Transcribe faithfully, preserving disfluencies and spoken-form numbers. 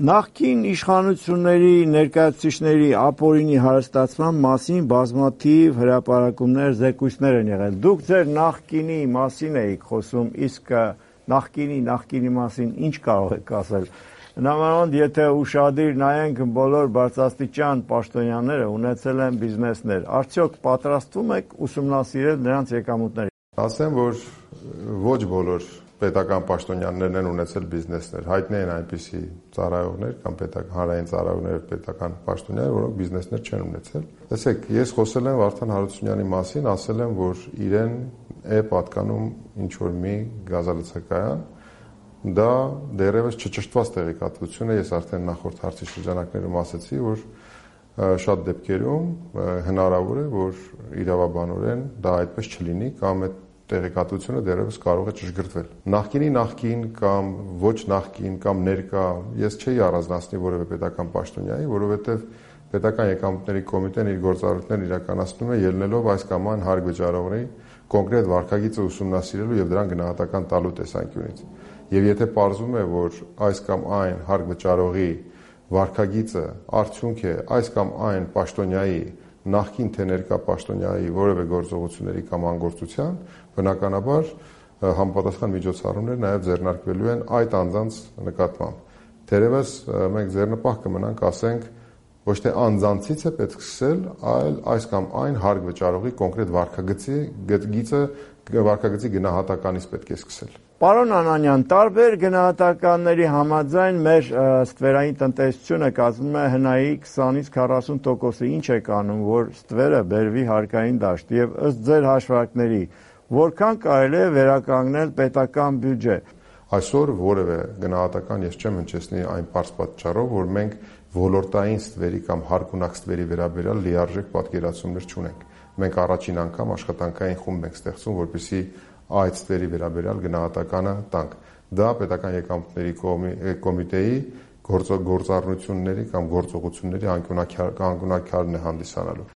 Նախկին իշխանությունների ներկայացուցիչների ապօրինի հարստացման մասին բազմաթիվ հրապարակումներ, զեկույցներ են եղել։ Դուք ձեր նախկինի մասին էիք խոսում, իսկ նախկինի նախկինի մասին ինչ կարող եք ասել։ Նամանավանդ եթե ուշադիր նայենք բոլոր բարձրաստիճան պաշտոնյաները ունեցել են բիզնեսներ, արդյոք պատրաստվում եք ուսումնասիրել նրանց եկամուտները։ Ասեմ, որ ոչ բոլոր պետական պաշտոնյաներն են ունեցել բիզնեսներ, հայտնի են այնպիսի ծառայողներ կամ պետական հանրային ծառայողներ, պետական պաշտոնյաներ, որոնք բիզնեսներ չեն ունեցել։ Տեսեք, ես խոսել եմ Վարդան Հարությունյանի մասին, ասել եմ, որ իրեն է պատկանում ինչ որ մի գազալցակայան, դա դեռևս չճշտված տեղեկատվություն է, ես արդեն նախորդ հարցի շրջանակներում ասացի, որ շատ դեպքերում հնարավոր է, որ իրավաբանորեն դա այդպես չլինի կամ այդ տեղեկատվությունը դեռևս կարող է ճշգրտվել։ Նախկինի նախկին կամ ոչ նախկին կամ ներկա ես չէի առանձնացնի որևէ պետական պաշտոնյայի, որովհետև պետական եկամուտների կոմիտեն իր գործառույթներն իրականացնում է ելնելով այս կամ այն հարկ վճարողների կոնկրետ վարքագիծը ուսումնասիրելու եւ դրան գնահատական տալու տեսանկյունից։ Եվ եթե պարզվում է, որ այս կամ այն հարկ վճարողի վարքագիծը արդյունք է այս կամ այն պաշտոնյայի նախկին թե ներկա պաշտոնյայի որևէ գործողությունների կամ անգործության, բնականաբար համապատասխան միջոցառումներ նաև ձեռնարկվելու են այդ անձանց նկատմամբ։ Թերևս մենք ձեռնպահ կմնանք, ասենք, ոչ թե անձանցից է պետք սկսել, այլ այս կամ այն հարկ վճարողի կոնկրետ վարքագծի գծը վարքագծի գնահատականից պետք է սկսել։ Պարոն Անանյան, տարբեր գնահատականների համաձայն մեր ստվերային տնտեսությունը կազմում է հնայի քսանից քառասուն տոկոսը, ինչ է անում, որ ստվերը բերվի հարկային դաշտ եւ ըստ ձեր հաշվարկների, որքան կարելի է վերականգնել պետական բյուջե։ Այսօր որևէ գնահատական ես չեմ հնչեցնի այն պարզ պատճառով, որ մենք ոլորտային ստվերի կամ հարկունակ ստվերի վերաբերյալ լիարժեք պատկերացումներ չունենք։ Մենք առաջին անգամ աշխատանքային խումբ ենք ստեղծում, որպեսզի այդ ստվերի վերաբերյալ գնահատականը տանք։ Դա պետական եկամուտների կոմիտեի գործառնությունների կամ գործողությունների անկյունաքարն է հանդիսանալու։